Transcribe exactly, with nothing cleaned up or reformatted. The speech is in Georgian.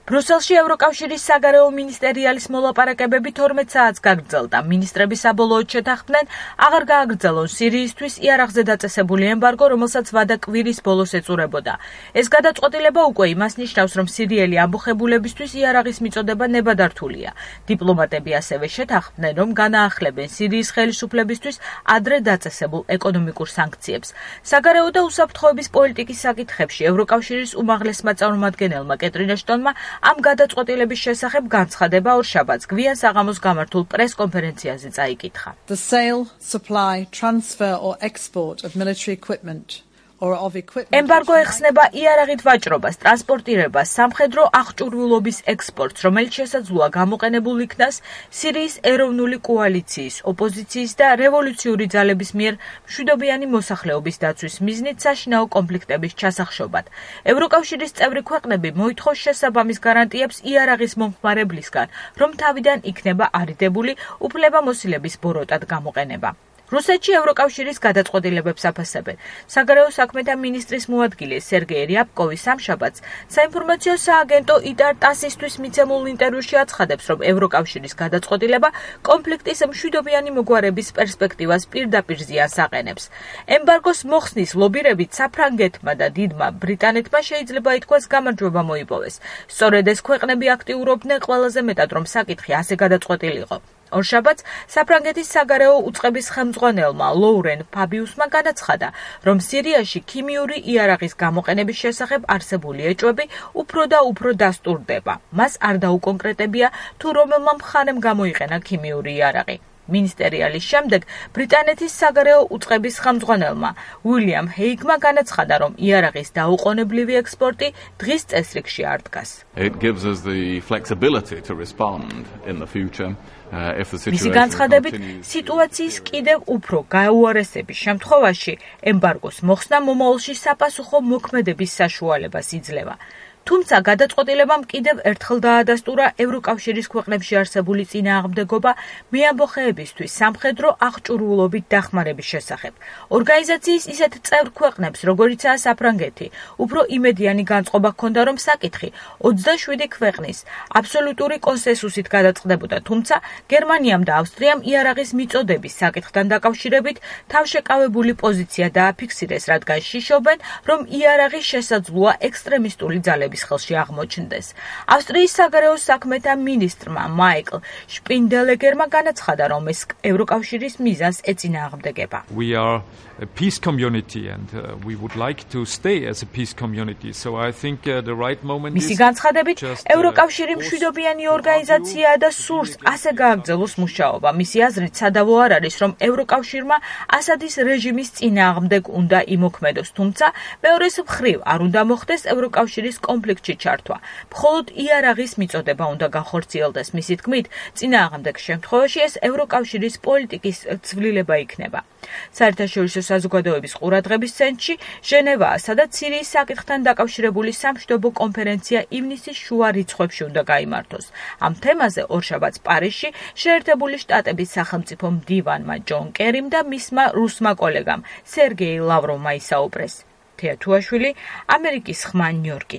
ბრუსელში ევროკავშირის საგარეო მინისტერიალის მოლაპარაკებები თორმეტ საათს გაგრძელდა. მინისტრები საბოლოოდ შეთანხმდნენ აღარ გააგრძელონ სირიისთვის იარაღზე დაწესებული ემბარგო, რომელსაც ვადა კვირის ბოლოს ეწურებოდა. ეს გადაწყვეტილება უკვე იმას ნიშნავს, რომ სირიელი ამბოხებულებისთვის იარაღის მიწოდება ნებადართულია. დიპლომატები ასევე შეთანხმდნენ, რომ განაახლებენ სირიის ხელისუფლებისთვის ადრე დაწესებულ ეკონომიკურ სანქციებს. საგარეო და უსაფრთხოების პოლიტიკის საკითხებში ევროკავშირის უმაღლესმა წარმომადგენელმა კეტრინ ეშტონმა ამ გადაწყვეტილების შესახებ განცხადება ორშაბათს გვიან საღამოს გამართულ პრეს-კონფერენციაზე წაიკითხა. The sale, supply, transfer or export of military equipment or of equipment ემბარგო ეხსნება იარაღით ვაჭრობას, ტრანსპორტირებას, სამხედრო აღჭურვილობის ექსპორტს, რომელიც შესაძლოა გამოყენებულ იქნას სირიის ეროვნული კოალიციის, ოპოზიციის და რევოლუციური ძალების მიერ მშვიდობიანი მოსახლეობის დაცვის მიზნით საშინაო კონფლიქტების ჩასახშობად. ევროკავშირის წევრი ქვეყნები მოითხოვს შესაბამის გარანტიებს იარაღის მომხმარებლისგან, რომ თავიდან იქნება არიდებული უფლებამოსილების ბოროტად გამოყენება. რუსეთში ევროკავშირის გადაწყვეტილებებს აფასებენ. საგარეო საქმეთა მინისტრის მოადგილე სერგეი რიაბკოვი სამშაბათს საინფორმაციო სააგენტო იტარ ტასისთვის მიცემულ ინტერვიუში აცხადებს, რომ ევროკავშირის გადაწყვეტილება კონფლიქტის მშვიდობიანი მოგვარების პერსპექტივას პირდაპირ ზიანს აყენებს. ემბარგოს მოხსნის ლობირებით საფრანგეთმა და დიდმა ბრიტანეთმა შეიძლება ითქვას გამარჯვება მოიპოვეს. სწორედ ეს ქვეყნები აქტიურობდნენ ყველაზე მეტად, რომ საკითხი ასე გადაწყვეტილიყო. ორშაბათს საფრანგეთის საგარეო უწყების ხელმძღვანელმა ლოურენ ფაბიუსმა განაცხადა, რომ სირიაში ქიმიური იარაღის გამოყენების შესახებ არსებული ეჭვები უფრო და უფრო დასტურდება. მას არ დაუკონკრეტებია, თუ რომელმა მხარემ გამოიყენა ქიმიური იარაღი. მინისტერიალის შემდეგ ბრიტანეთის საგარეო უწყების ხელმძღვანელმა უილიამ ჰეიგმა განაცხადა, რომ იარაღის დაუყოვნებლივი ექსპორტი დღის წესრიგში არ დგას. It gives us the flexibility to respond in the future. მისი განცხადებით, სიტუაციის კიდევ უფრო გაუარესების შემთხვევაში ემბარგოს მოხსნა მომავალში საპასუხო მოქმედების საშუალებას იძლევა. თუმცა გადაწყვეტილებამ კიდევ ერთხელ დაადასტურა ევროკავშირის ქვეყნებში არსებული წინააღმდეგობა მეამბოხეებისთვის სამხედრო აღჭურვილობით დახმარების შესახებ. ორგანიზაციის ისეთ წევრ ქვეყნებს, როგორიცაა საფრანგეთი, უფრო იმედიანი განწყობა ჰქონდა, რომ საკითხი ოცდაშვიდი ქვეყნის აბსოლუტური კონსენსუსით გადაწყდებოდა, თუმცა გერმანიამ და ავსტრიამ იარაღის მიწოდების საკითხთან დაკავშირებით თავშეკავებული პოზიცია დააფიქსირეს, რადგან შიშობენ, რომ იარაღი შესაძლოა ექსტრემისტული ძალების ხელში აღმოჩნდეს. ავსტრიის საგარეო საქმეთა მინისტრმა მაიკლ შპინდელეგერმა განაცხადა, რომ ეს ევროკავშირის მიზანს ეწინააღმდეგება. We are a peace community and uh, we would like to stay as a peace community. So I think uh, the right moment is მისი განცხადებით, ევროკავშირი მშვიდობიანი ორგანიზაციაა და სურს ასე გააგრძელოს მუშაობა. მისი აზრით, სადავო არ არის, რომ ევროკავშირმა ასადის რეჟიმის წინააღმდეგ უნდა იმოქმედოს, თუმცა მეორეს მხრივ არ უნდა მოხდეს ევროკავშირის კონფლიქტში ჩართვა. მხოლოდ იარაღის მიწოდება უნდა განხორციელდეს. მისი თქმით, წინააღმდეგ შემთხვევაში ეს ევროკავშირის პოლიტიკის ცვლილება იქნება. საერთაშორისო საზოგადოების ყურადღების ცენტრში ჟენევაა, სადაც სირიის საკითხთან დაკავშირებული სამშვიდობო კონფერენცია ივნისის შუა რიცხვებში უნდა გაიმართოს. ამ თემაზე ორშაბათს პარიზში შეერთებული შტატების სახელმწიფო მდივანმა ჯონ კერიმ და მისმა რუსმა კოლეგამ სერგეი ლავროვმა ისაუბრეს. თეა თუაშვილი, ამერიკის ხმა, ნიუ-იორკი.